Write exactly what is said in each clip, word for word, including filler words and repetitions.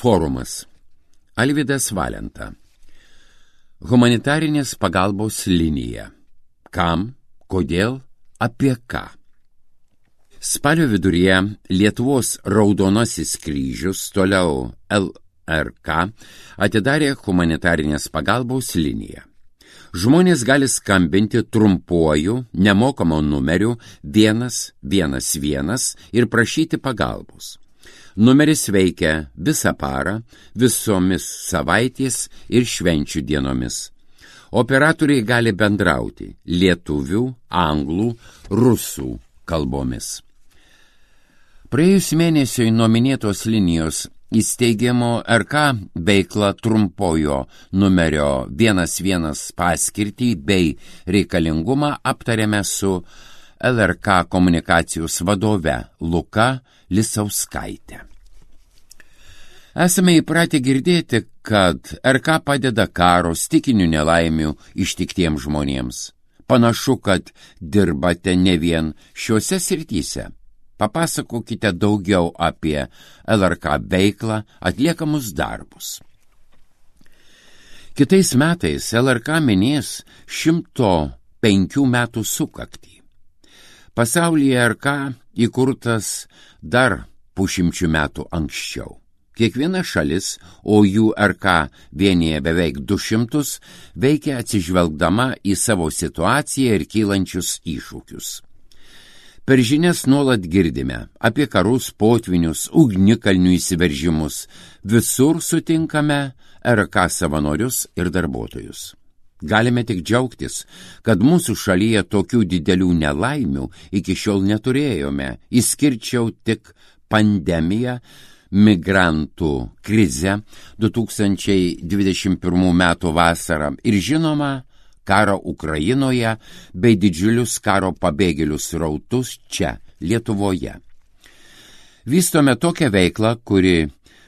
Forumas. Alvydas Valenta. Humanitarinės pagalbos linija. Kam, kodėl, apie ką? Spalio viduryje Lietuvos Raudonasis kryžius, toliau L R K, atidarė humanitarinės pagalbos liniją. Žmonės gali skambinti trumpuoju, nemokamu numeriu vienas vienas vienas ir prašyti pagalbos. Numeris veikia visą parą, visomis savaitės ir švenčių dienomis. Operatoriai gali bendrauti lietuvių, anglų, rusų kalbomis. Praėjus mėnesiui nuo minėtos linijos įsteigimo R K veikla trumpojo numerio vienas vienas paskirtį bei reikalingumą aptarėme su L R K komunikacijos vadove Luka Lisauskaitė. Esame įpratę girdėti, kad R K padeda karo, stichinių nelaimių ištiktiems žmonėms. Panašu, kad dirbate ne vien šiuose srityse. Papasakokite daugiau apie L R K veiklą, atliekamus darbus. Kitais metais L R K minės šimto penkių metų sukaktį. Pasaulyje R K įkurtas dar pusšimčių metų anksčiau. Kiekviena šalis, o jų R K vienyje beveik du šimtus, veikia atsižvelgdama į savo situaciją ir kylančius iššūkius. Per žinias nuolat girdime apie karus, potvinius, ugnikalnių įsiveržimus. Visur sutinkame R K savanorius ir darbuotojus. Galime tik džiaugtis, kad mūsų šalyje tokių didelių nelaimių iki šiol neturėjome, išskirčiau tik pandemiją, migrantų krizę du tūkstančiai dvidešimt pirmų metų vasarą ir žinoma, karo Ukrainoje bei didžiulius karo pabėgėlių srautus čia, Lietuvoje. Vystome tokią veiklą, kuri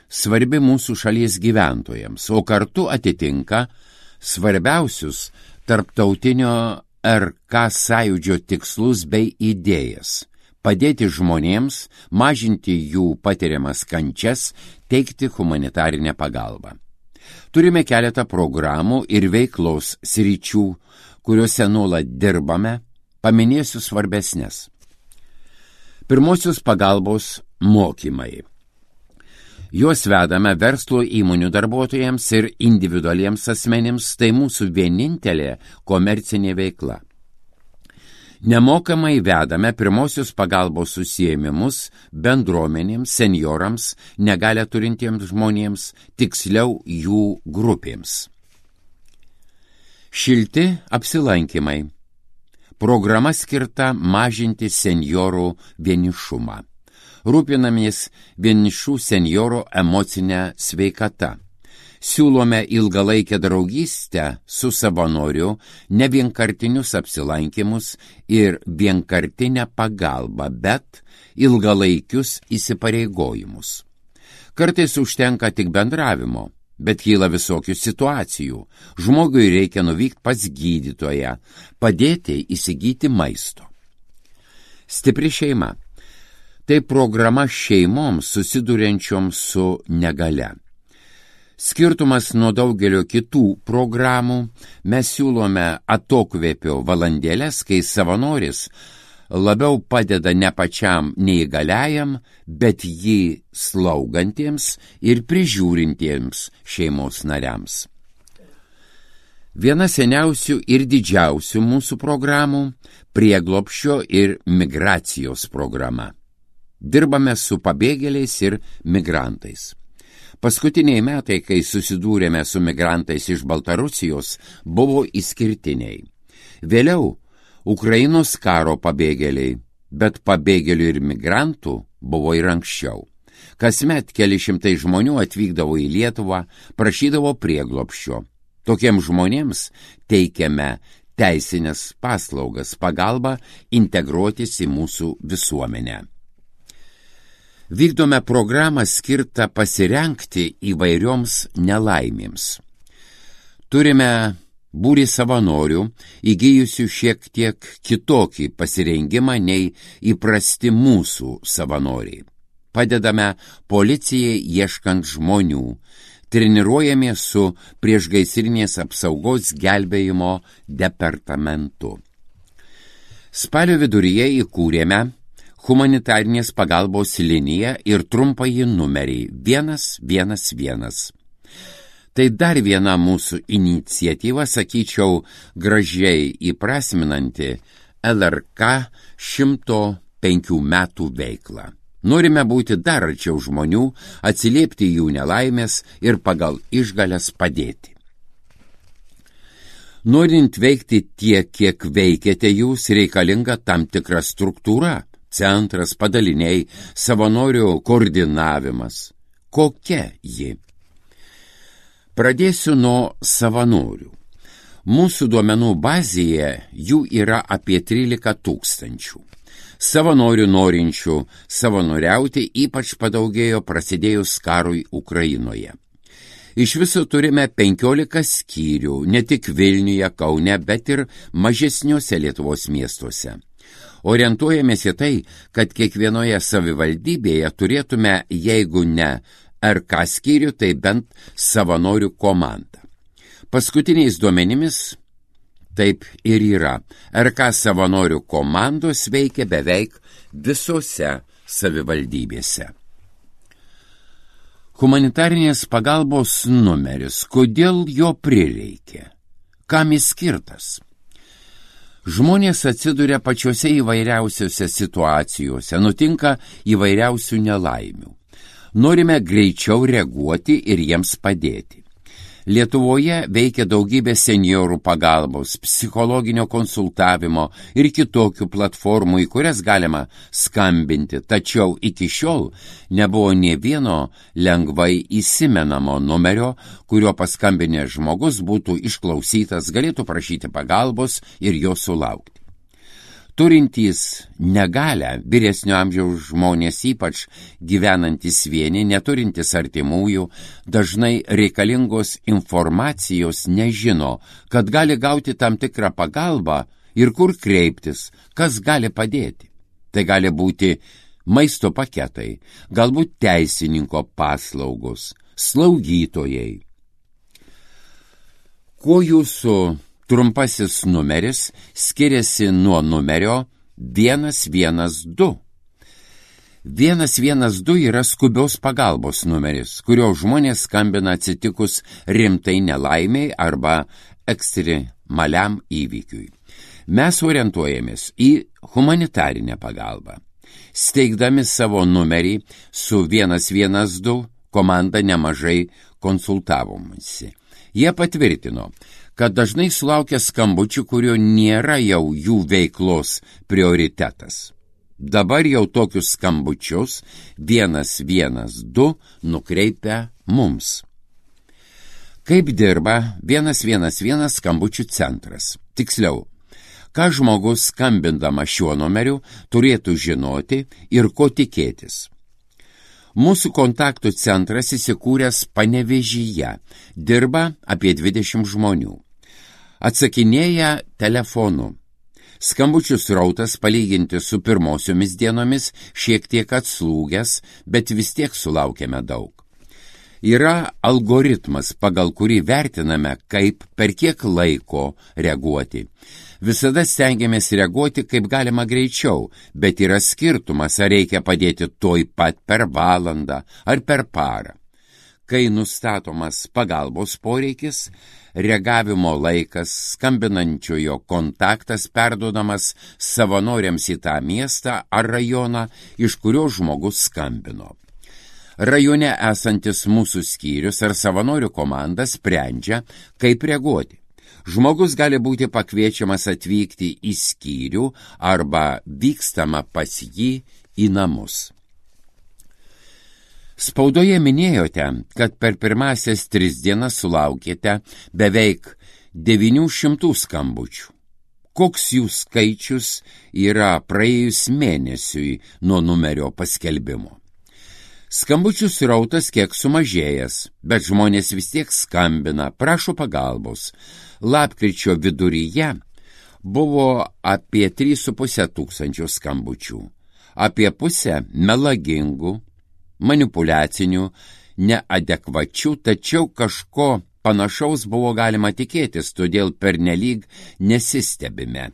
svarbi mūsų šalies gyventojams, o kartu atitinka svarbiausius tarptautinio R K sąjūdžio tikslus bei idėjas – padėti žmonėms, mažinti jų patiriamas kančias, teikti humanitarinę pagalbą. Turime keletą programų ir veiklos sričių, kuriuose nuolat dirbame, paminėsiu svarbesnės. Pirmosios pagalbos mokymai. Juos vedame verslo įmonių darbuotojams ir individualiems asmenims, tai mūsų vienintelė komercinė veikla. Nemokamai vedame pirmosios pagalbos užsiėmimus bendruomenėms, senjorams, negalią turintiems žmonėms, tiksliau jų grupėms. Šilti apsilankymai. Programa skirta mažinti senjorų vienišumą. Rūpinamės vienišų senjorų emocinę sveikatą. Siūlome ilgalaikę draugystę su savanoriu, nevienkartinius apsilankymus ir vienkartinę pagalbą, bet ilgalaikius įsipareigojimus. Kartais užtenka tik bendravimo, bet kyla visokių situacijų. Žmogui reikia nuvykti pas gydytoją, padėti įsigyti maisto. Stipri šeima. Tai programa šeimoms susiduriančioms su negalia. Skirtumas nuo daugelio kitų programų, mes siūlome atokvėpio valandėlės, kai savanoris labiau padeda ne pačiam neįgaliajam, bet jį slaugantiems ir prižiūrintiems šeimos nariams. Viena seniausių ir didžiausių mūsų programų – prieglobsčio ir migracijos programa. Dirbame su pabėgėliais ir migrantais. Paskutiniai metai, kai susidūrėme su migrantais iš Baltarusijos, buvo išskirtiniai. Vėliau Ukrainos karo pabėgėliai, bet pabėgėlių ir migrantų buvo ir anksčiau. Kasmet keli šimtai žmonių atvykdavo į Lietuvą, prašydavo prieglobsčio. Tokiems žmonėms teikiame teisinės paslaugas, pagalbą integruotis į mūsų visuomenę. Vykdome programą skirtą pasirengti įvairioms nelaimėms. Turime būrį savanorių, įgijusių šiek tiek kitokį pasirengimą nei įprasti mūsų savanoriai. padedame policijai ieškant žmonių, treniruojamės su priešgaisrinės apsaugos gelbėjimo departamentu. Spalio viduryje įkūrėme humanitarinės pagalbos liniją ir trumpąjį numerį vienas vienas vienas. Tai dar viena mūsų iniciatyva, sakyčiau, gražiai įprasminanti L R K šimto penkių metų veiklą. Norime būti dar arčiau žmonių, atsiliepti jų nelaimės ir pagal išgales padėti. Norint veikti tiek, kiek veikiate jūs, reikalinga tam tikra struktūra, centras, padaliniai, savanorių koordinavimas. Kokia ji? Pradėsiu nuo savanorių. Mūsų duomenų bazėje jų yra apie trylika tūkstančių. Savanorių norinčių savanoriauti ypač padaugėjo prasidėjus karui Ukrainoje. Iš viso turime penkiolika skyrių, ne tik Vilniuje, Kaune, bet ir mažesniuose Lietuvos miestuose. Orientuojamės į tai, kad kiekvienoje savivaldybėje turėtume, jeigu ne R K skyrių, tai bent savanorių komandą. Paskutiniais duomenimis taip ir yra. R K savanorių komandos veikia beveik visose savivaldybėse. Humanitarinės pagalbos numeris. Kodėl jo prireikė? Kam jis skirtas? Žmonės atsiduria pačiose įvairiausiose situacijose, nutinka įvairiausių nelaimių. Norime greičiau reaguoti ir jiems padėti. Lietuvoje veikia daugybė seniorų pagalbos, psichologinio konsultavimo ir kitokių platformų, į kurias galima skambinti, tačiau iki šiol nebuvo nė vieno lengvai įsimenamo numerio, kurio paskambinęs žmogus būtų išklausytas, galėtų prašyti pagalbos ir jo sulaukti. Turintys negalią, vyresnio amžiaus žmonės, ypač gyvenantys vieni, neturintys artimųjų, dažnai reikalingos informacijos nežino, kad gali gauti tam tikrą pagalbą ir kur kreiptis, kas gali padėti. Tai gali būti maisto paketai, galbūt teisininko paslaugos, slaugytojai. Kuo jūsų trumpasis numeris skiriasi nuo numerio vienas vienas du. vienas vienas du yra skubios pagalbos numeris, kurio žmonės skambina atsitikus rimtai nelaimiai arba ekstremaliam įvykiui. Mes orientuojamės į humanitarinę pagalbą. Steigdami savo numerį su vienas vienas du komanda nemažai konsultavomasi. Jie patvirtino, kad dažnai sulaukia skambučių, kurio nėra jau jų veiklos prioritetas. Dabar jau tokius skambučius vienas vienas du nukreipia mums. Kaip dirba vienas vienas vienas skambučių centras? Tiksliau, ką žmogus skambindama šiuo numeriu turėtų žinoti ir ko tikėtis. Mūsų kontaktų centras įsikūręs Panevėžyje, dirba apie dvidešimt žmonių. Atsakinėja telefonu. Skambučių srautas palyginti su pirmosiomis dienomis šiek tiek atslūgęs, bet vis tiek sulaukiame daug. Yra algoritmas, pagal kurį vertiname, kaip per kiek laiko reaguoti. Visada stengiamės reaguoti kaip galima greičiau, bet yra skirtumas, ar reikia padėti tuoj pat per valandą ar per parą. Kai nustatomas pagalbos poreikis, reagavimo laikas, skambinančiojo kontaktas perduodamas savanoriams į tą miestą ar rajoną, iš kurio žmogus skambino. Rajone esantis mūsų skyrius ar savanorių komanda sprendžia, kaip reaguoti. Žmogus gali būti pakviečiamas atvykti į skyrių arba vykstama pas jį į namus. Spaudoje minėjote, kad per pirmasias tris dienas sulaukėte beveik devynių šimtų skambučių. Koks jų skaičius yra praėjus mėnesiui nuo numerio paskelbimo? Skambučių srautas kiek sumažėjęs, bet žmonės vis tiek skambina, prašo pagalbos. Lapkričio viduryje buvo apie trys su puse tūkstančio skambučių, apie pusę melagingų, manipuliaciniu, neadekvačiu, tačiau kažko panašaus buvo galima tikėtis, todėl pernelyg nesistebime.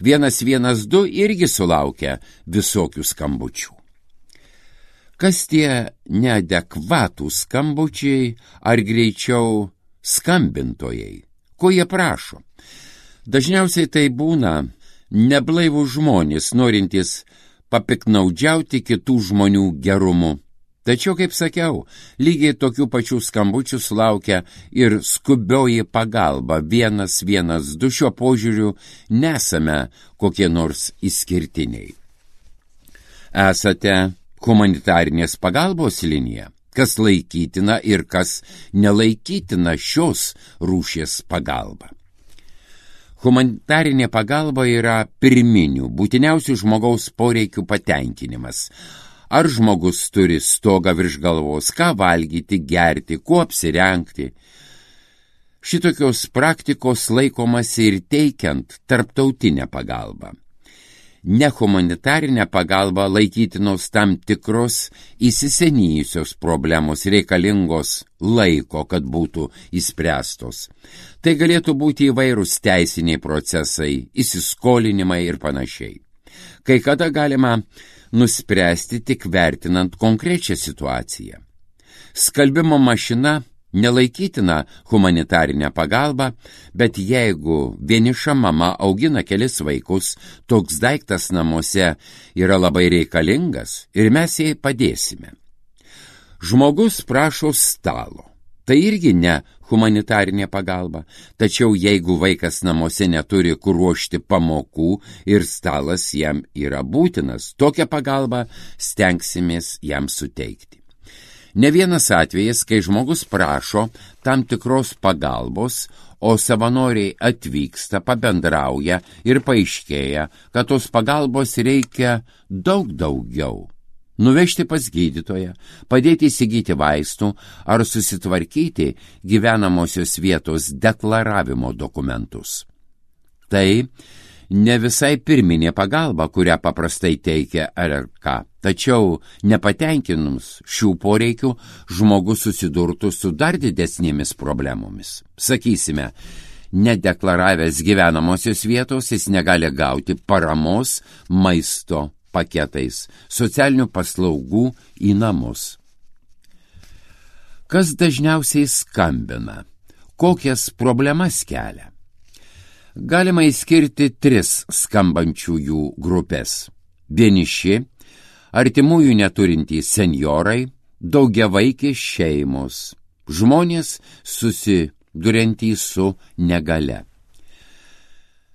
Vienas vienas du irgi sulaukia visokių skambučių. Kas tie neadekvatūs skambučiai ar greičiau skambintojai? Ko jie prašo? Dažniausiai tai būna neblaivų žmonės, norintys papiknaudžiauti kitų žmonių gerumu. Tačiau, kaip sakiau, lygiai tokių pačių skambučių sulaukia ir skubioji pagalba vienas vienas du. Šiuo požiūriu nesame kokie nors išskirtiniai. Esate humanitarinės pagalbos linija, kas laikytina ir kas nelaikytina šios rūšies pagalba. Humanitarinė pagalba yra pirminių, būtiniausių žmogaus poreikių patenkinimas. Ar žmogus turi stogą virš galvos, ką valgyti, gerti, kuo apsirengti. Šitokios praktikos laikomasi ir teikiant tarptautinę pagalbą. Nehumanitarinę pagalbą laikytinos tam tikros įsisenėjusios problemos reikalingos laiko, kad būtų išspręstos. Tai galėtų būti įvairūs teisiniai procesai, įsiskolinimai ir panašiai. Kai kada galima nuspręsti tik vertinant konkrečią situaciją. Skalbimo mašina nelaikytina humanitarinę pagalbą, bet jeigu vieniša mama augina kelis vaikus, toks daiktas namuose yra labai reikalingas ir mes jai padėsime. Žmogus prašo stalo. Tai irgi ne humanitarinė pagalba, tačiau jeigu vaikas namuose neturi kur ruošti pamokų ir stalas jam yra būtinas, tokią pagalbą stengsimės jam suteikti. Ne vienas atvejis, kai žmogus prašo tam tikros pagalbos, o savanoriai atvyksta, pabendrauja ir paaiškėja, kad tos pagalbos reikia daug daugiau. Nuvežti pas gydytoją, padėti įsigyti vaistų ar susitvarkyti gyvenamosios vietos deklaravimo dokumentus. Tai ne visai pirminė pagalba, kurią paprastai teikia R R K, tačiau nepatenkinus šių poreikių žmogus susidurtų su dar didesnėmis problemomis. Sakysime, nedeklaravęs gyvenamosios vietos jis negali gauti paramos maisto paketais, socialinių paslaugų į namus. Kas dažniausiai skambina? Kokias problemas kelia? Galima išskirti tris skambančiųjų grupės. Vieniši, artimųjų neturintys senjorai, daugiavaikės šeimos, žmonės susiduriantys su negale.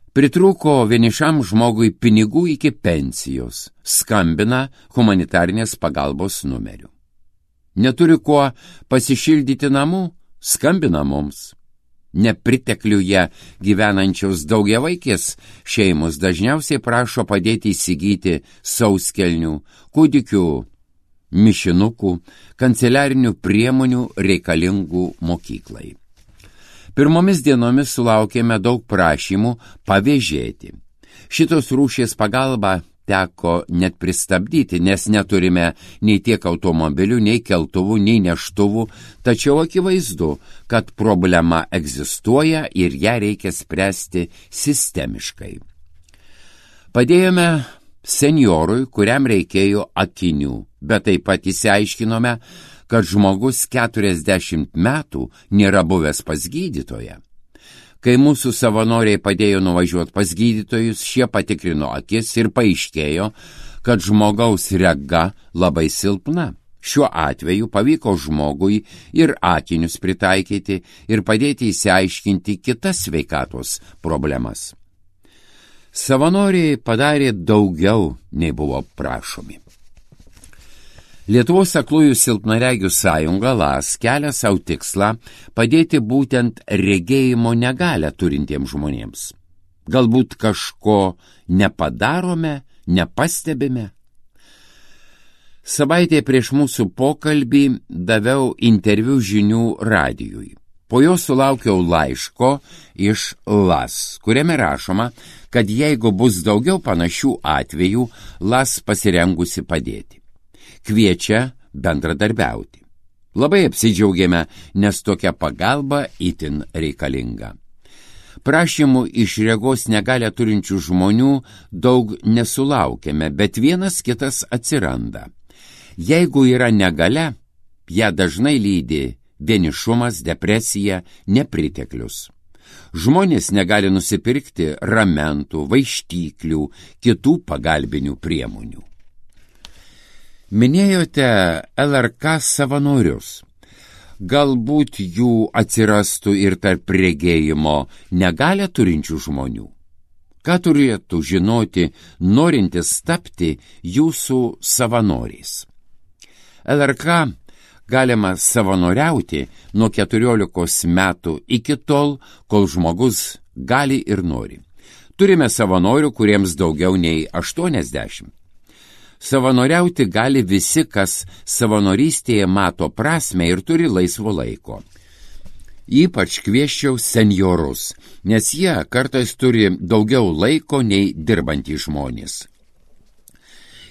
Pritrūko vienišam žmogui pinigų iki pensijos, skambina humanitarinės pagalbos numeriu. Neturi kuo pasišildyti namų, skambina mums. Nepritekliuje gyvenančios daugiavaikės šeimos dažniausiai prašo padėti įsigyti sauskelnių, kūdikių, mišinukų, kanceliarinių priemonių reikalingų mokyklai. Pirmomis dienomis sulaukėme daug prašymų pavėžėti. Šitos rūšies pagalba teko net pristabdyti, nes neturime nei tiek automobilių, nei keltuvų, nei neštuvų, tačiau akivaizdu, kad problema egzistuoja ir ją reikia spręsti sistemiškai. Padėjome senjorui, kuriam reikėjo akinių, bet taip pat išsiaiškinome, kad žmogus keturiasdešimt metų nėra buvęs pas gydytoją. Kai mūsų savanoriai padėjo nuvažiuoti pas gydytojus, šie patikrino akis ir paaiškėjo, kad žmogaus rega labai silpna. Šiuo atveju pavyko žmogui ir akinius pritaikyti ir padėti išsiaiškinti kitas sveikatos problemas. Savanoriai padarė daugiau, nei buvo prašomi. Lietuvos aklųjų silpnaregių sąjunga L A S kelia savo tikslą padėti būtent regėjimo negalią turintiems žmonėms. Galbūt kažko nepadarome, nepastebime? Savaitė prieš mūsų pokalbį daviau interviu žinių radijui. Po jo sulaukiau laiško iš L A S, kuriame rašoma, kad jeigu bus daugiau panašių atvejų, L A S pasirengusi padėti. Kviečia bendradarbiauti. Labai apsidžiaugėme, nes tokia pagalba itin reikalinga. Prašymų iš regos negalią turinčių žmonių daug nesulaukėme, bet vienas kitas atsiranda. Jeigu yra negalia, ją dažnai lydi vienišumas, depresija, nepriteklius. Žmonės negali nusipirkti ramentų, vaištyklių, kitų pagalbinių priemonių. Minėjote L R K savanorius. Galbūt jų atsirastų ir tarp regėjimo negalią turinčių žmonių. Ką turėtų žinoti, norintis tapti jūsų savanoriais? L R K galima savanoriauti nuo keturiolikos metų iki tol, kol žmogus gali ir nori. Turime savanorių, kuriems daugiau nei aštuoniasdešimt. Savanoriauti gali visi, kas savanorystėje mato prasmę ir turi laisvo laiko. Ypač kviesčiau senjorus, nes jie kartais turi daugiau laiko nei dirbantys žmonės.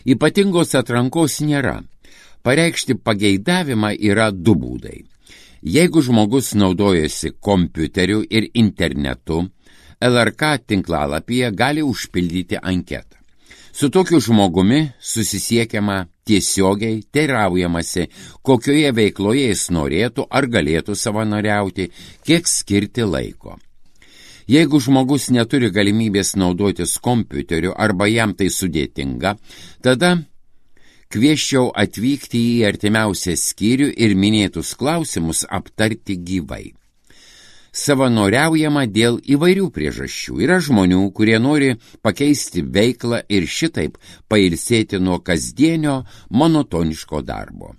Ypatingos atrankos nėra. Pareikšti pageidavimą yra du būdai. Jeigu žmogus naudojasi kompiuteriu ir internetu, L R K tinklalapyje gali užpildyti anketą. Su tokiu žmogumi susisiekiama tiesiogiai, teiraujamasi, kokioje veikloje jis norėtų ar galėtų savanoriauti, kiek skirti laiko. Jeigu žmogus neturi galimybės naudotis kompiuteriu arba jam tai sudėtinga, tada kviesčiau atvykti į artimiausią skyrių ir minėtus klausimus aptarti gyvai. Savanoriaujama dėl įvairių priežasčių. Yra žmonių, kurie nori pakeisti veiklą ir šitaip pailsėti nuo kasdienio monotoniško darbo.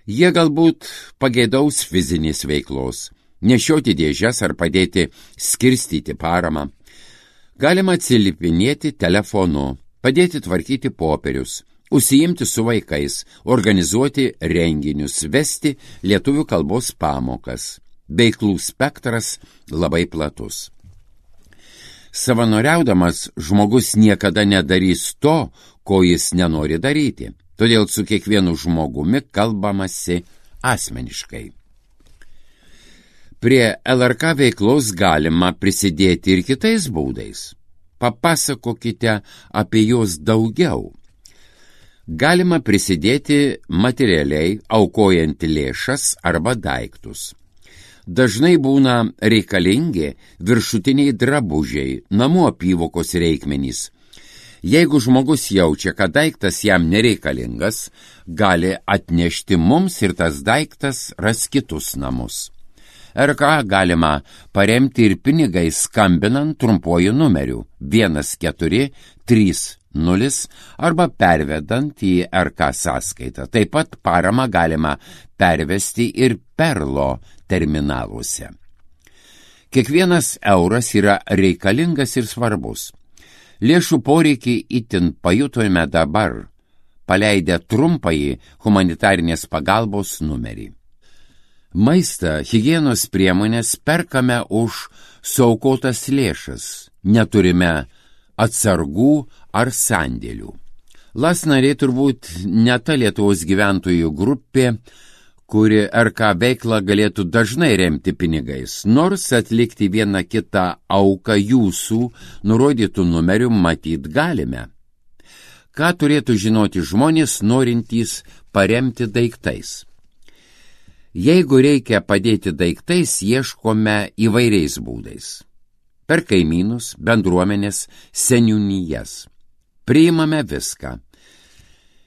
Jie galbūt pageidaus fizinės veiklos, nešioti dėžes ar padėti skirstyti paramą. Galima atsilipinėti telefonu, padėti tvarkyti popierius, užsiimti su vaikais, organizuoti renginius, vesti lietuvių kalbos pamokas. Veiklų spektras labai platus. Savanoriaudamas žmogus niekada nedarys to, ko jis nenori daryti, todėl su kiekvienu žmogumi kalbamasi asmeniškai. Prie L R K veiklos galima prisidėti ir kitais būdais. Papasakokite apie juos daugiau. Galima prisidėti materialiai, aukojant lėšas arba daiktus. Dažnai būna reikalingi viršutiniai drabužiai, namų apyvokos reikmenys. Jeigu žmogus jaučia, kad daiktas jam nereikalingas, gali atnešti mums ir tas daiktas ras kitus namus. R K galima paremti ir pinigai skambinant trumpuoju numeriu vienas keturi trys nulis arba pervedant į R K sąskaitą. Taip pat paramą galima pervesti ir Perlo terminaluose. Kiekvienas euras yra reikalingas ir svarbus. Lėšų poreikį itin pajutome dabar, paleidę trumpąjį humanitarinės pagalbos numerį. Maistą, higienos priemonės perkame už suaukotas lėšas, neturime atsargų ar sandėlių. Las nariai turbūt ne ta Lietuvos gyventojų grupė, kuri R K veiklą galėtų dažnai remti pinigais, nors atlikti vieną kitą auką jūsų nurodytų numerių matyt galime. Ką turėtų žinoti žmonės, norintys paremti daiktais? Jeigu reikia padėti daiktais, ieškome įvairiais būdais. Per kaimynus, bendruomenės, seniūnijas. Priimame viską.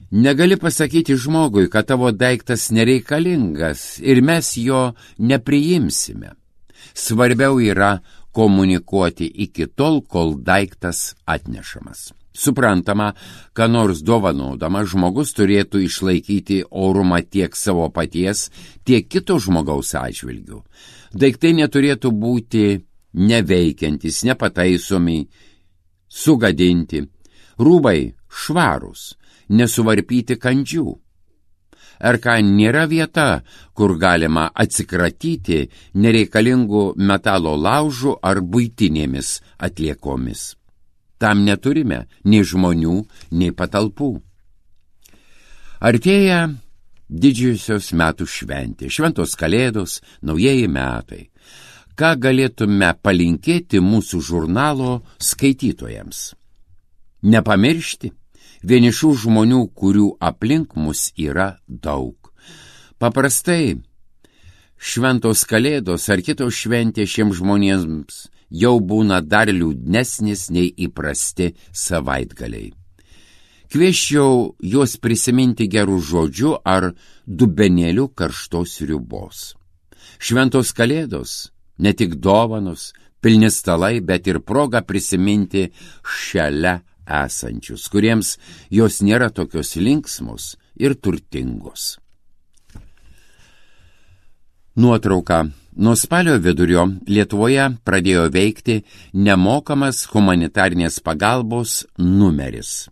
Negali pasakyti žmogui, kad tavo daiktas nereikalingas ir mes jo nepriimsime. Svarbiau yra komunikuoti iki tol, kol daiktas atnešamas. Suprantama, ką nors dovanodama žmogus turėtų išlaikyti orumą tiek savo paties, tiek kito žmogaus atžvilgių. Daiktai neturėtų būti neveikiantis, nepataisomi, sugadinti. Rūbai švarūs, nesuvarpyti kandžių. R K nėra vieta, kur galima atsikratyti nereikalingų metalo laužų ar buitinėmis atliekomis. Tam neturime nei žmonių, nei patalpų. Artėja didžiosios metų šventės, šventos kalėdos, naujieji metai. Ką galėtume palinkėti mūsų žurnalo skaitytojams? Nepamiršti vienišų žmonių, kurių aplink mus yra daug. Paprastai šventos kalėdos ar kitos šventės šiems žmonėms jau būna dar liūdnesnis nei įprasti savaitgaliai. Kviesčiau juos prisiminti gerų žodžių ar dubenėlių karštos sriubos. Šventos kalėdos ne tik dovanos, pilni stalai, bet ir proga prisiminti šalia esančius, kuriems jos nėra tokios linksmos ir turtingos. Nuotrauka. Nuo spalio vidurio Lietuvoje pradėjo veikti nemokamas humanitarnės pagalbos numeris.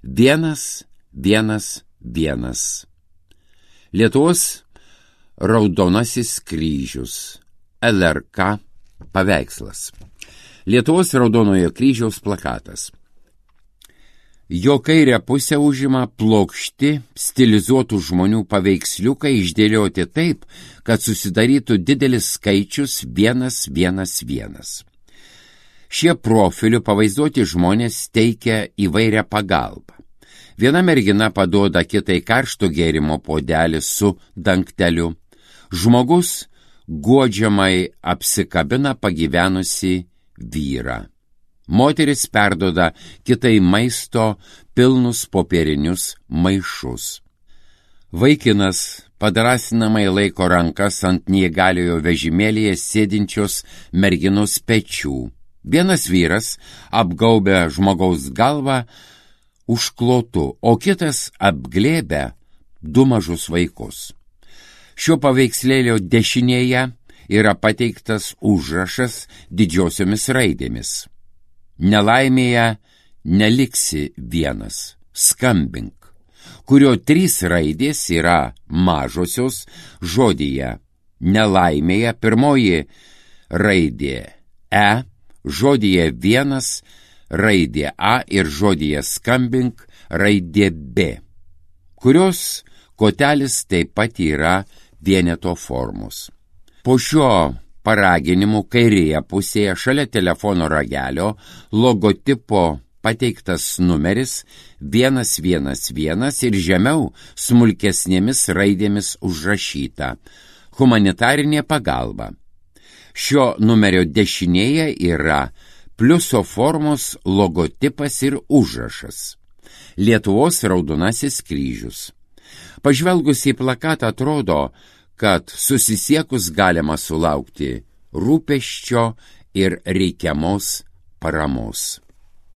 Vienas, vienas, vienas. Lietuvos Raudonasis kryžius. L R K paveikslas. Lietuvos Raudonojo kryžiaus plakatas. Jo kairę pusę užima plokšti, stilizuotų žmonių paveiksliukai išdėlioti taip, kad susidarytų didelis skaičius vienas, vienas, vienas. Šie profilių pavaizduoti žmonės teikia įvairią pagalbą. Viena mergina paduoda kitai karšto gėrimo puodelį su dangteliu. Žmogus guodžiamai apsikabina pagyvenusi vyrą. Moteris perdoda kitai maisto pilnus popierinius maišus. Vaikinas padrasinamai laiko rankas ant neįgaliojo vežimėlyje sėdinčios merginos pečių. Vienas vyras apgaubia žmogaus galvą užklotu, o kitas apglėbia du mažus vaikus. Šio paveikslėlio dešinėje yra pateiktas užrašas didžiosiomis raidėmis. Nelaimėje neliksi vienas, skambink, kurio trys raidės yra mažosios žodyje. Nelaimėje pirmoji raidė E, žodyje vienas raidė A ir žodyje skambink raidė B, kurios kotelis taip pat yra vieneto formos. Po šio paraginimų kairėje pusėje šalia telefono ragelio logotipo pateiktas numeris vienas vienas vienas ir žemiau smulkesnėmis raidėmis užrašyta humanitarinė pagalba. Šio numerio dešinėje yra pliuso formos logotipas ir užrašas Lietuvos Raudonasis kryžius. Pažvelgus į plakatą atrodo, kad susisiekus galima sulaukti rūpesčio ir reikiamos paramos.